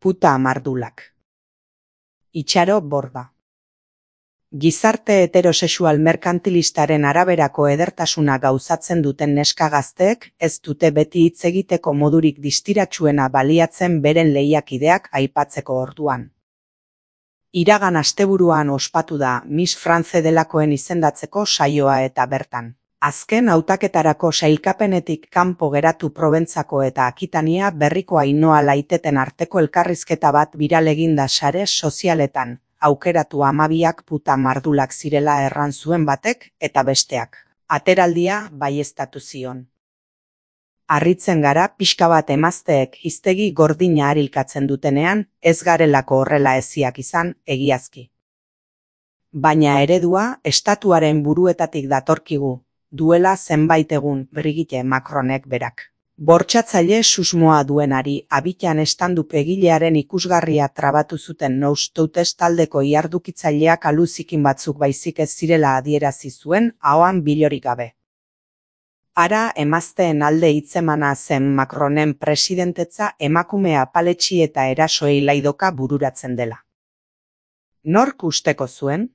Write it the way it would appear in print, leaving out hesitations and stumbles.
Puta mardulak. Itxaro Borda. Gizarte heterosexual merkantilistaren araberako edertasuna gauzatzen duten neska gazteek ez dute beti hitz egiteko modurik distiratsuena baliatzen beren lehiakideak aipatzeko orduan. Iragan asteburuan ospatu da Miss France delakoen izendatzeko saioa eta bertan. Azken hautaketarako sailkapenetik kanpo geratu Proventzako eta Akitania berriko Ainhoa Laiteten arteko elkarrizketa bat biral eginda sare sozialetan, aukeratu 12ak puta mardulak zirela erran zuen batek eta besteak. Ateraldia baieztatu zion. Harritzen gara pixka bat emazteek hiztegi gordina harilkatzen dutenean, ez garelako horrela eziak izan, egiazki. Baina eredua estatuaren buruetatik datorkigu, duela zenbait egun Brigitte Macronek berak. Bortxatzaile susmoa duenari abitan estandup egilearen ikusgarria trabatu zuten Noustoutes taldeko ihardukitzaileak aluzikin batzuk baizik ez zirela adierazi zuen ahoan bilorik gabe. Ara emazteen alde hitzemana zen Macronen presidentetza emakume apaletxi eta erasoei laidoka bururatzen dela. Nork usteko zuen?